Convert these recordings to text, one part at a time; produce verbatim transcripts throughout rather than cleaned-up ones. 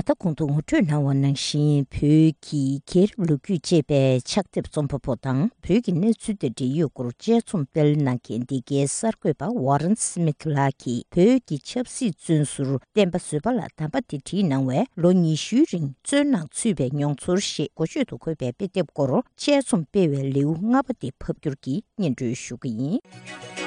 ད་གོང་དུ་ངོ་སྤྲོད་གནང་བ་ནང་བཞིན། བོད་ཀྱི་རྒྱལ་རབས་ལོ་རྒྱུས་ཅེས་པའི་ཕྱག་དེབ་རྩོམ་པ་པོ་དང་། བོད་ཀྱི་གནས་ཚུལ་དང་འབྲེལ་ཡོད་སྐོར་དཔྱད་རྩོམ་སྤེལ་གནང་མཁན་འདི་གའི་གསར་འགོད་པ་ཝ་རན་སི་མིད་ལགས་ཀྱིས། བོད་ཀྱི་ཆབ་སྲིད་བཙོན་ཟུར་བསྟན་པ་བཟོད་པ་ལགས་དམ་པ་དེ་བྲིས་གནང་བའི་ལོ་ཉི་ཤུའི་རིང་བཙོན་ནང་ཚུད་པའི་མྱོང་ཚོར་ཞེས་འགོ་བརྗོད་དུ་འཁོད་པའི་དཔེ་དེབ་སྐོར་དཔྱད་རྩོམ་སྤེལ་བའི་ལེའུ་ལྔ་པ་དེ་ཕབ་སྒྱུར་གྱིས་སྙན་སྒྲོན་ཞུ་གི་ཡིན།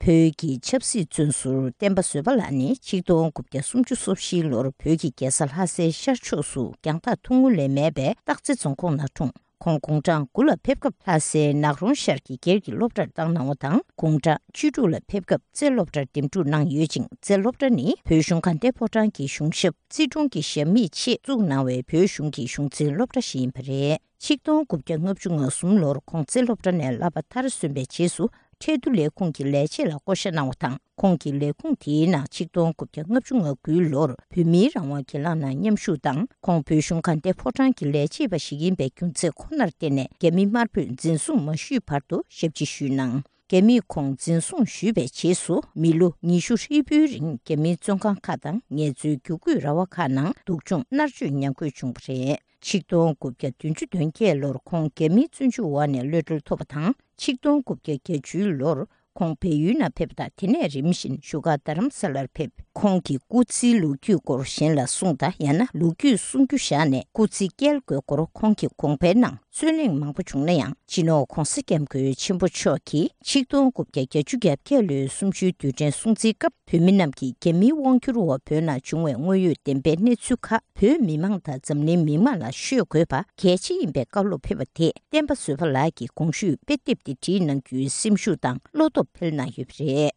བོད་ཀྱི་ཆབ་སྲིད་བཙོན་ཟུར་བསྟན་པ་བཟོད་པ་ལགས་ནི་ཆིག་སྟོང་དགུ་བརྒྱ་སུམ་ཅུ་སོ་བཞིའི་ལོར་བོད་ཀྱི་རྒྱལ་ས་ལྷ་སའི་ཤར་ཕྱོགས་སུ་རྒྱང་ཐག་ཐུང་ངུ་ལས་མེད་པའི་སྟག་རྩེ་རྫོང་ཁོངས་ནང་འཁྲུངས། ཁོང་དགུང་གྲངས་དགུ་ལ་ཕེབས་སྐབས་ལྷ་སའི་ནགས་རོང་ཤར་གྱི་སྒེར་གྱི་སློབ་གྲྭར་བཏང་གནང་བ་དང་། དགུང་གྲངས་བཅུ་དྲུག་ལ་ཕེབས་སྐབས་རྩེ་སློབ་གྲྭར་འདེམས་སྒྲུག་གནང་ཡོད་ཅིང་། རྩེ་སློབ་གྲྭ་ནི་བོད་གཞུང་དགའ་ལྡན་ཕོ་བྲང་གི་གཞུང་ཞབས་རྩིས་དྲུང་གི་ཞབས་མིག་ཆེད་བཙུགས་གནང་བའི་བོད་གཞུང་གི་གཞུང་འཛིན་སློབ་གྲྭ་ཞིག་ཡིན་པ་རེད། ཆིག་སྟོང་དགུ་བརྒྱ་ལྔ་བཅུ་ང་གསུམ་ལོར་ཁོང་རྩེ་སློབ་གྲྭ་ནས་བསླབ་པ་མཐར་སོན་པའི་རྗེས་སུ། ཁྲལ་བསྡུ་ལས་ཁུངས་ཀྱི་ལས་བྱེད་ལ་བསྐོ་བཞག་གནང་བ་དང་། ཁོང་གིས་ལས་ཁུངས་དེའི་ནང་ཆིག་སྟོང་དགུ་བརྒྱ་ལྔ་བཅུ་ང་དགུའི་ལོར་བོད་མིའི་རང་དབང་སྒེར་ལངས་ནང་མཉམ་ཞུགས་དང་། ཁོང་བོད་གཞུང་དགའ་ལྡན་ཕོ་བྲང་གི་ལས་བྱེད་པ་ཞིག་ཡིན་པའི་རྒྱུ་མཚན་ཁོ་ནར་བརྟེན་ནས། རྒྱ་མི་དམར་པོས་འཛིན་བཟུང་མ་ཞུས་བར་དུ་ཞབས་ཕྱི་ཞུས་གནང་། རྒྱ་མིས་ཁོང་འཛིན་བཟུང་ཞུས་པའི་རྗེས་སུ། མི་ལོ་ཉི་ཤུ་ཧྲིལ་པོའི་རིང་རྒྱ་མིའི་བཙོན་ཁང་ཁག་དང་ངལ་རྩོལ་བརྒྱུད་སྐུལ་ར་བ་ཁག་ནང་སྡུག་སྦྱོང་མནར་གཅོད་མྱངས་དགོས་བྱུང་བ་རེད། ཆིག་སྟོང་དགུ་བརྒྱ་བདུན་ཅུ་དོན་བརྒྱད་ལོར་ཁོང་རྒྱ་མིའི་བཙོན་འཇུག་འོག་ནས་གློད་གྲོལ་ཐོབ་པ་དང་། ཆིག་སྟོང་དགུ་བརྒྱ་བརྒྱད་ཅུའི་ལོར་ཁོང་བལ་ཡུལ་ནང་ཕེབས་པ་དང་། དེ་ནས་རིམ་བཞིན་བཞུགས་སྒར་རྡ་རམ་ས་ལར་ཕེབས། ཁོང་གི་སྐུ་ཚེའི་ལོ་རྒྱུས་སྐོར་གཞན་ལ་གསུངས་དང་། ཡང་ན་ལོ་རྒྱུས་གསུང་རྒྱུ་བཞག་ནས་སྐུ་ཚེ་བསྐྱལ་དགོས་སྐོར། ཁོང་གི་དགོངས་པའི་ནང་རྩོད་གླེང་མང་པོ་བྱུང་ན་ཡང་། སྤྱི་ནོར་༧གོང་ས་༧སྐྱབས་མགོན་ཆེན་པོ་མཆོག་གིས་ཆིག་སྟོང་དགུ་བརྒྱ་བརྒྱད་ཅུ་གྱ་བརྒྱད་ལོའི་གསུམ་བཅུའི་དུས་དྲན་སྲུང་བརྩིའི་སྐབས། བོད་མི་རྣམས་ཀྱིས་རྒྱ་མིའི་དབང་སྒྱུར་འོག་བོད་ནང་བྱུང་བའི་དངོས་ཡོད་བདེན་པའི་གནས་ཚུལ་ཁག་བོད་མི་མང་དང་འཛམ་གླིང་མི་མང་ལ་ཤོད་དགོས་པ་གལ་ཆེ་ཡིན་པའི་བཀའ་སློབ་ཕེབས་པ་དེས། བསྟན་པ་བཟོད་པ་ལགས་ཀྱི་དགོངས་ཞུས་དཔེ་དེབ་དེ་བྲིས་གནང་རྒྱུའི་སེམས་ཤུགས་དང་བློ་སྟོབས་འཕེལ་གནང་ཡོད་པ་རེད།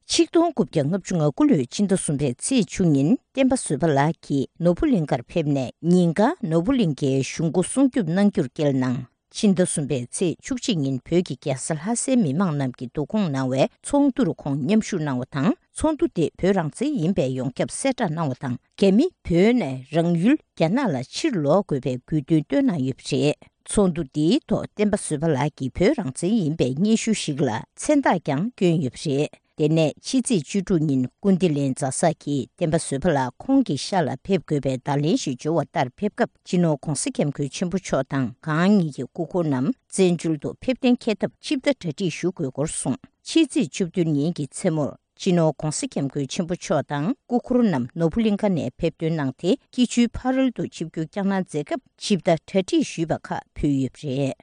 ཆིག་སྟོང་དགུ་བརྒྱ་ལྔ་བཅུ་ང་དགུ་ལོའི་ཕྱི་ཟླ་གསུམ་པའི་ཚེས་བཅུ་ཉིན། བསྟན་པ་བཟོད་པ་ལགས་ཀྱིས་ནོར་བུ་གླིང་ཁར་ཕེབས་ནས། ཉིན་གང་ནོར་བུ་གླིང་ཁའི་གཞུང་སྒོ་སྲུང་སྐྱོབ་གནང་རྒྱུར་བསྐྱལ་གནང་། ཕྱི་ཟླ་གསུམ་པའི་ཚེས་བཅུ་གཅིག་ཉིན། བོད་ཀྱི་རྒྱལ་ས་ལྷ་སའི་མི་མང་རྣམས་ཀྱིས་བསྡུ་སྐོང་གནང་བའི་ཚོགས་འདུར་ཁོང་མཉམ་ཞུགས་གནང་བ་དང་། ཚོགས་འདུ་དེ་བོད་རང་བཙན་ཡིན་པའི་ཡོངས་ཁྱབ་གསལ་བསྒྲགས་གནང་བ་དང་། རྒྱ་མི་བོད་ནས་རང་ཡུལ་རྒྱ་ནག་ལ་ཕྱིར་ལོག་དགོས་པའི་དགོས་འདུན་བཏོན་གནང་ཡོད་པ་རེད། ཚོགས་འདུ་འདིའི་ཐོག་བསྟན་པ་བཟོད་པ་ལགས་ཀྱིས་བོད་རང་བཙན་ཡིན་པའི་སྙན་ཞུ་ཞིག་ལ་མཚན་རྟགས་ཀྱང་བསྐྱོན་ཡོད་པ་རེད། དེ་ནས་ཕྱི་ཚེས་བཅུ་དྲུག་ཉིན། སྐུ་བདེ་ལེགས་མཛའ་བཟའ་གིས་བསྟན་པ་བཟོད་པ་ལགས་ཁོང་གི་ཤག་ལ་ཕེབས་དགོས་པའི་བརྡ་ལན་ཞིག་འབྱོར་བ་ལྟར་ཕེབས་སྐབས། སྤྱི་ནོར་༧གོང་ས་༧སྐྱབས་མགོན་ཆེན་པོ་མཆོག་དང་གང་ཉིད་ཀྱི་སྐུ་འཁོར་རྣམས་བཙན་བྱོལ་དུ་ཕེབས་གཏན་འཁེལ་ཐབས་ཆིབས་བསྒྱུར་གྲ་སྒྲིག་ཞུ་དགོས་སྐོར་གསུངས། ཕྱི་ཚེས་བཅུ་བདུན་ཉིན་གྱི་མཚན་མོར། སྤྱི་ནོར་༧གོང་ས་༧སྐྱབས་མགོན་ཆེན་པོ་མཆོག་དང་སྐུ་འཁོར་རྣམས་ནོར་བུ་གླིང་ཁ་ནས་ཕེབས་ཐོན་གནང་སྟེ། སྐྱིད་ཆུའི་ཕ་རོལ་ཏུ་ཆིབས་བསྒྱུར་བསྐྱངས་གནང་མཛད་སྐབས། ཆིབས་བསྒྱུར་གྲ་སྒྲིག་ཞུས་པ་ཁག་ཕུལ་ཡོད་པ་རེད།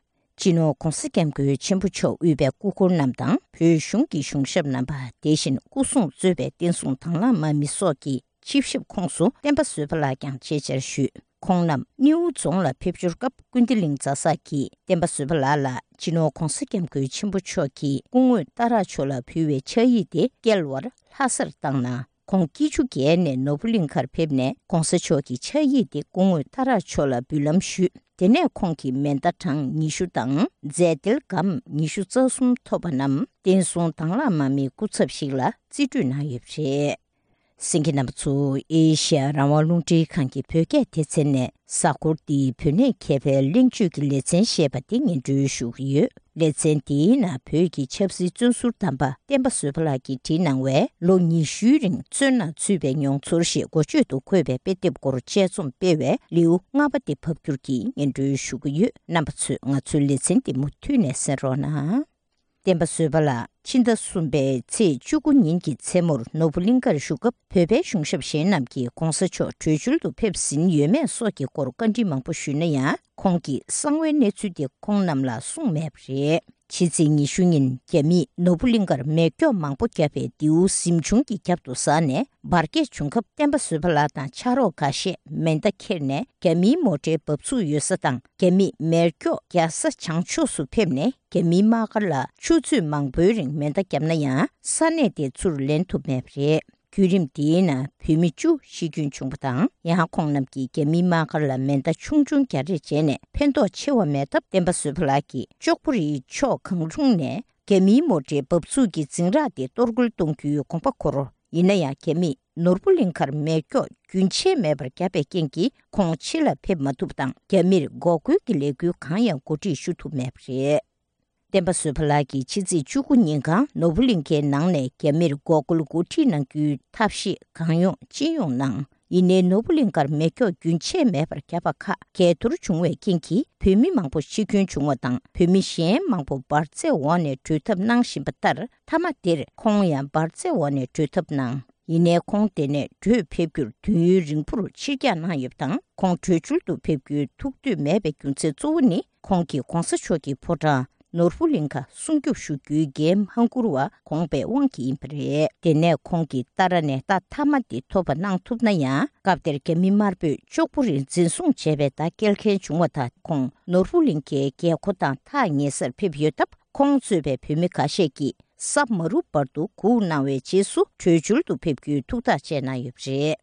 སྤྱི་ནོར་༧གོང་ས་༧སྐྱབས་མགོན་ཆེན་པོ་མཆོག་དབུས་པའི་སྐུ་འཁོར་རྣམས་དང་། བོད་གཞུང་གི་གཞུང་ཞབས་རྣམ་པ། དེ་བཞིན་སྐུ་སྲུང་གཙོས་པའི་བསྟན་སྲུང་དང་བླངས་དམག་མི་སོགས་ཀྱིས་ཆིབས་ཞབས་ཁོངས་སུ་བསྟན་པ་བཟོད་པ་ལགས་ཀྱང་ཆེད་བཅར་ཞུས། ཁོང་རྣམས་སྣེའུ་རྫོང་ལ་ཕེབས་འབྱོར་སྐབས། སྐུ་བདེ་གླིང་མཛའ་བཟའ་གིས་བསྟན་པ་བཟོད་པ་ལགས་ལ་སྤྱི་ནོར་༧གོང་ས་༧སྐྱབས་མགོན་ཆེན་པོ་མཆོག་གིས་སྐུ་ངོ་ཏཱ་ར་མཆོག་ལ་ཕུལ་བའི་ཕྱག་ཡིག་དེ་བསྐྱལ་བར་ལྷ་སར་བཏང་གནང་། ཁོང་སྐྱིད་ཆུ་བརྒལ་ནས་ནོར་བུ་གླིང་ཁར་ཕེབས་ནས། ༸གོང་ས་མཆོག་གི་ཕྱག་ཡིག་དེ་སྐུ་ངོ་ཏཱ་ར་མཆོག་ལ་འབུལ་ལམ་ཞུས། དེ་ནས་ཁོང་གིས་མེ་མདའ་གྲངས་ཉི་ཤུ་དང་། རྫས་དལ་སྒམ་ཉི་ཤུ་རྩ་གསུམ་ཐོབ་པ་རྣམས། བསྟན་སྲུང་དང་བླངས་དམག་མིའི་སྐུ་ཚབ་ཞིག་ལ་རྩིས་སྤྲོད་གནང་ཡོད་པ་རེད། གསན་མཁན་རྣམ་པ་ཚོ། ཨེ་ཤ་ཡ་རང་དབང་རླུང་འཕྲིན་ཁང་གི་བོད་སྐད་སྡེ་ཚན་ནས། གཟའ་འཁོར་འདིའི་བོད་གནས་མཁས་པའི་གླེང་བརྗོད་ཀྱི་ལེ་ཚན་ཞེས་པ་དེ་སྙན་སྒྲོན་ཞུ་གི་ཡོད། ལེ་ཚན་འདིའི་ནང་བོད་ཀྱི་ཆབ་སྲིད་བཙོན་ཟུར་དམ་པ་བསྟན་པ་བཟོད་པ་ལགས་ཀྱིས་བྲིས་གནང་བའི་ལོ་ཉི་ཤུའི་རིང་བཙོན་ནང་ཚུད་པའི་མྱོང་ཚོར་ཞེས་འགོ་བརྗོད་དུ་འཁོད་པའི་དཔེ་དེབ་སྐོར་དཔྱད་རྩོམ་སྤེལ་བའི་ལེའུ་ལྔ་པ་དེ་ཕབ་སྒྱུར་གྱིས་སྙན་སྒྲོན་ཞུ་གི་ཡོད། རྣམ་པ་ཚོས་ང་ཚོའི་ལེ་ཚན་འདི་མུ་མཐུད་ནས་གསན་རོགས་གནང་། བསྟན་པ་བཟོད་པ་ལགས་ཕྱི་ཟླ་གསུམ་པའི་ཚེས་བཅུ་དགུ་ཉིན་གྱི་མཚན་མོར་ནོར་བུ་གླིང་ཁར་བཞུགས་སྐབས། བོད་པའི་གཞུང་ཞབས་གཞན་རྣམས་ཀྱིས་༸གོང་ས་མཆོག་བྲོས་བྱོལ་དུ་ཕེབས་ཟིན་ཡོད་མེད་སོགས་ཀྱི་སྐོར་བཀའ་འདྲི་མང་པོ་ཞུས་ན་ཡང་། ཁོང་གིས་གསང་བའི་གནས་ཚུལ་དེ་ཁོང་རྣམས་ལ་གསུངས་མེད་པ་རེད། ཕྱི་ཚེས་ཉི་ཤུ་ཉིན་རྒྱ་མིས་ནོར་བུ་གླིང་ཁར་མེ་སྒྱོགས་མང་པོ་བརྒྱབ་པའི་མདེའུ་གཟིམ་ཆུང་གི་རྒྱབ་ཏུ་ཟགས་ནས་འབར་གས་བྱུང་སྐབས། བསྟན་པ་བཟོད་པ་ལགས་དང་ཕྱག་རོགས་འགའ་ཤས་མེ་མདའ་ཁྱེར་ནས་རྒྱ་མིའི་མོ་ཊའི་འབབ་ཚུགས་ཡོད་ས་དང་། རྒྱ་མིས་མེ་སྒྱོགས་རྒྱག་ས་བྱང་ཕྱོགས་སུ་ཕེབས་ནས། རྒྱ་མིའི་དམག་སྒར་ལ་ཆུ་ཚོད་མང་པོའི་རིང་མེ་མདའ་བརྒྱབ་ན་ཡང་། ས་གནས་དེ་ཚུར་ལེན་ཐུབ་མེད་པ་རེད། བརྒྱུད་རིམ་དེའི་ནང་བོད་མི་བཅུ་ཤི་སྐྱོན་བྱུང་བ་དང་། ཡང་ཁོང་རྣམས་ཀྱིས་རྒྱ་མིའི་དམག་སྒར་ལ་མེ་མདའ་ཆུང་ཆུང་རྒྱག་རེས་བྱས་ནས་ཕན་ཐོགས་ཆེ་བ་མེད་སྟབས། བསྟན་པ་བཟོད་པ་ལགས་ཀྱིས་ལྕོག་པོ་རིའི་ཕྱོགས་གང་རུང་ནས་རྒྱ་མིའི་མོ་ཊའི་འབབ་ཚུགས་ཀྱི་འཛིང་རགས་དེ་གཏོར་རྒོལ་གཏོང་རྒྱུའི་དགོངས་པ་འཁོར། ཡིན་ན་ཡང་། རྒྱ་མིས་ནོར་བུ་གླིང་ཁར་མེ་སྒྱོགས་རྒྱུན་ཆད་མེད་པར་བརྒྱབ་པའི་རྐྱེན་གྱིས། ཁོང་ཕྱི་ལ་ཕེབས་མ་ཐུབ་པ་དང་། རྒྱ་མིར་འགོག་རྒོལ་གྱི་ལས་འགུལ་གང་ཡང་གོ་སྒྲིག་ཞུ་ཐུབ་མེད་པ་རེད། བསྟན་པ་བཟོད་པ་ལགས་ཀྱིས་ཕྱི་ཚེས་བཅུ་དགུ་ཉིན་གང་ནོར་བུ་གླིང་ཁའི་ནང་ནས་རྒྱ་མིར་འགོག་རྒོལ་འགོ་ཁྲིད་གནང་རྒྱུའི་ཐབས་ཤེས་གང་ཡོང་ཅི་ཡོང་གནང་། ཡིན་ནའི་ནོར་བུ་གླིང་ཁར་མེ་སྒྱོགས་རྒྱུན་ཆད་མེད་པར་བརྒྱབ་པ་ཁག་འགལ་འཐོར་བྱུང་བའི་རྐྱེན་གྱིས་བོད་མི་མང་པོ་འཆི་སྐྱོན་བྱུང་བ་དང་། བོད་མི་གཞན་མང་པོ་འབར་རྫས་འོག་ནས་བྲོས་ཐབས་གནང་བཞིན་པ་ལྟར། མཐའ་མ་དེར་ཁོང་ཡང་འབར་རྫས་འོག་ནས་བྲོས་ཐབས་གནང་། ཡིན་ནའི་ཁོང་དེ་ནས་བྲོས་ཕེབས་རྒྱུར་དུས་ཡུན་རིང་པོར་ཕྱིར་འགྱངས་གནང་ཡོད་པ་དང་། ཁོང་བྲོས་བྱོལ་དུ་ཕེབས་རྒྱུའི་ཐུགས་འདོད་མེད་པའི་རྒྱུ་མཚན་གཙོ་བོ་ནི། ཁོང་གིས་གོང་ས་མཆོག་གི་ཕོ་བྲང་ནོར་བུ་གླིང་ཁ་སྲུང་སྐྱོབ་ཞུ་རྒྱུའི་འགན་མ་འཁུར་བ་དགོངས་པའི་དབང་གིས་ཡིན་པ་རེད། དེ་ནས་ཁོང་གིས་ཏཱ་ར་ནས་རྟགས་མཐའ་མ་དེ་ཐོབ་པ་གནང་ཐུབ་ན་ཡང་། སྐབས་དེར་རྒྱ་མི་དམར་པོས་ལྕོགས་པོ་རིང་འཛིན་བཟུང་བྱས་པའི་བརྡ་སྐྱེལ་མཁན་བྱུང་བ་དང་། ཁོང་ནོར་བུ་གླིང་ཁའི་རྒྱལ་སྒོ་དང་ཐག་ཉེ་སར་ཕེབས་ཡོད་སྟབས། ཁོང་གཙོས་པའི་བོད་མི་ཁ་ཤས་ཀྱིས་ས་མ་རུབ་བར་དུ་སྒུག་གནང་བའི་རྗེས་སུ་བྲོས་བྱོལ་དུ་ཕེབས་རྒྱུའི་ཐུགས་ཐག་བཅད་གནང་ཡོད་པ་རེད།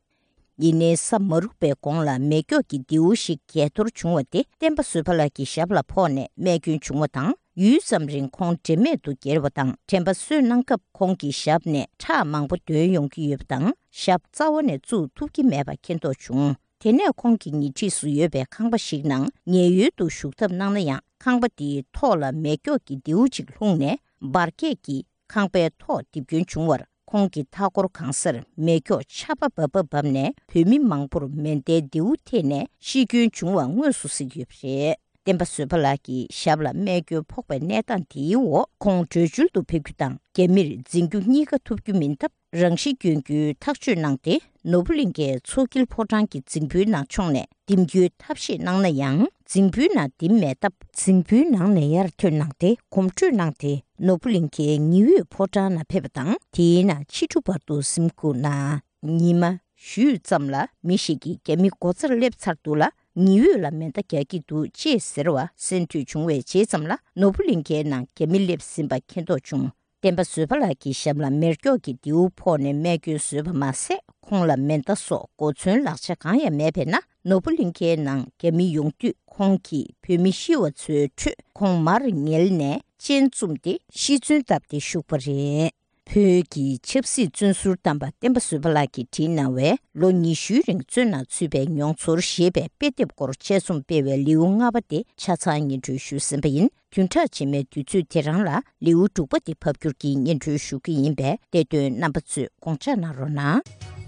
ཡིན་ནའི་ས་མ་རུབ་པའི་གོང་ལ་མེ་སྒྱོགས་ཀྱི་མདེའུ་ཞིག་འགས་གཏོར་བྱུང་བ་དེ་བསྟན་པ་བཟོད་པ་ལགས་ཀྱི་ཞབས་ལ་ཕོག་ནས་རྨས་སྐྱོན་བྱུང་བ་དང་། ཡུད་ཙམ་རིང་ཁོང་དྲན་མེད་དུ་འགྱེལ་བ་དང་། དྲན་པ་གསོས་གནང་སྐབས་ཁོང་གི་ཞབས་ནས་ཁྲག་མང་པོ་ཐོན་ཡོང་གི་ཡོད་པ་དང་། ཞབས་རྩ་བ་ནས་བཙུགས་ཐུབ་ཀྱི་མེད་པ་མཁྱེན་རྟོགས་བྱུང་། དེ་ནས་ཁོང་གི་ཉེ་འཁྲིས་སུ་ཡོད་པའི་ཁང་པ་ཞིག་ནང་ཉལ་ཡོལ་དུ་བཞུགས་ཐབས་གནང་ན་ཡང་། ཁང་པ་དེའི་ཐོག་ལ་མེ་སྒྱོགས་ཀྱི་མདེའུ་གཅིག་ལྷུང་ནས་འབར་གས་ཀྱིས་ཁང་པའི་ཐོག་རྡིབ་སྐྱོན་བྱུང་བར། ཁོང་གི་མཐའ་འཁོར་གང་སར་མེ་སྒྱོགས་ཆར་པ་འབབ་པ་བབས་ནས། བོད་མི་མང་པོར་མེ་མདའི་མདེའུ་ཐེབས་ནས་ཤི་སྐྱོན་བྱུང་བ་དངོས་སུ་གཟིགས་ཡོད་པ་རེད། བསྟན་པ་བཟོད་པ་ལགས་ཀྱི་ཞབས་ལ་རྨས་སྐྱོན་ཕོག་པའི་གནས་སྟངས་དེའི་འོག་ཁོང་བྲོས་བྱོལ་དུ་ཕེབས་རྒྱུ་དང་། རྒྱ་མིར་འཛིན་རྒྱུ་གཉིས་ཀ་ཐུབ་རྒྱུ་མིན་སྟབས། རང་ཤི་སྐྱོན་རྒྱུའི་ཐག་གཅོད་གནང་སྟེ། ནོར་བུ་གླིང་ཁའི་མཚོ་དཀྱིལ་ཕོ་བྲང་གི་རྫིང་བུའི་ནང་མཆོངས་ནས་འདེམས་རྒྱུའི་ཐབས་ཤེས་གནང་ན་ཡང་། རྫིང་བུའི་ནང་འདེམས་མེད་སྟབས། རྫིང་བུའི་ནང་ནས་ཡར་ཐོན་གནང་སྟེ། གོམ་བགྲོད་གནང་སྟེ། ནོར་བུ་གླིང་ཁའི་ཉི་འོད་ཕོ་བྲང་ནང་ཕེབས་པ་དང་། དེའི་ནང་ཕྱི་དྲོ་བར་དུ་གཟིམ་སྒུག་གནང་། ཉི་མ་བཞུད་ཙམ་ལ་མི་ཞིག་གིས་རྒྱ་མི་སྒོ་རྩར་སླེབས་ཚར་འདུག་ལ། ཉི་འོད་ལ་མེ་མདའ་རྒྱག་གི་འདུག་ཅེས་ཟེར་བ་གསན་ཐོས་བྱུང་བའི་རྗེས་ཙམ་ལ། ནོར་བུ་གླིང་ཁའི་ནང་རྒྱ་མི་སླེབས་ཟིན་པ་མཁྱེན་རྟོགས་བྱུང་། བསྟན་པ་བཟོད་པ་ལགས་ཀྱི་ཞབས་ལ་མེ་སྒྱོགས་ཀྱི་མདེའུ་ཕོག་ནས་རྨས་སྐྱོན་བཟོས་པ་མ་ཟད། ཁོང་ལ་མེ་མདའ་སོགས་གོ་མཚོན་ལག་ཆ་གང་ཡང་མེད་པས་ན། ནོར་བུ་གླིང་ཁའི་ནང་རྒྱ་མི་ཡོང་དུས། ཁོང་གིས་བོད་མི་ཤི་བ་ཚོའི་ཁྲོད་ཁོང་མར་ཉལ་ནས་སྤྱན་བཙུམས་ཏེ་ཤི་གསོན་བཏབ་སྟེ་བཞུགས་པ་རེད། བོད་ཀྱི་ཆབ་སྲིད་བཙོན་ཟུར་གཏམ་པ་བསྟན་པ་བཟོད་པ་ལགས་ཀྱིས་བྲིས་གནང་བའི་ལོ་ཉི་ཤུའི་རིང་བཙོན་ནང་ཚུད་པའི་མྱོང་ཚོར་ཞེས་པའི་དཔེ་དེབ་སྐོར་དཔྱད་རྩོམ་སྤེལ་བའི་ལེའུ་ལྔ་པ་དེ་ཆ་ཚང་སྙན་སྒྲོན་ཞུས་ཟིན་པ་ཡིན། བདུན་ཕྲག་རྗེས་མའི་དུས་ཚོད་དེ་རང་ལ་ལེའུ་དྲུག་པ་དེ་ཕབ་སྒྱུར་གྱིས་སྙན་སྒྲོན་ཞུ་གི་ཡིན་པས། བལྟས་དོན་རྣམ་པ་ཚོས་དགོངས་འཇགས་གནང་རོགས་གནང་།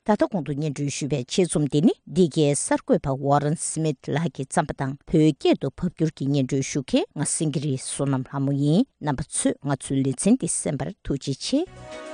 ད་ལྟ་གོང་དུ་སྙན་སྒྲོན་ཞུས་པའི་ཆེད་རྩོམ་འདི་ནི་འདི་གའི་གསར་འགོད་པ་ཝོ་རན་སི་མིད་ལགས་ཀྱིས་བརྩམས་པ་དང་། བོད་སྐད་དུ་ཕབ་སྒྱུར་གྱིས་སྙན་སྒྲོན་ཞུ་མཁན་ང་སེང་གེ་རི་བསོད་ནམས་ལྷ་མོ་ཡིན། རྣམ་པ་ཚོས་ང་ཚོའི་ལེ་ཚན་འདི་གསན་པར་ཐུགས་རྗེ་ཆེ།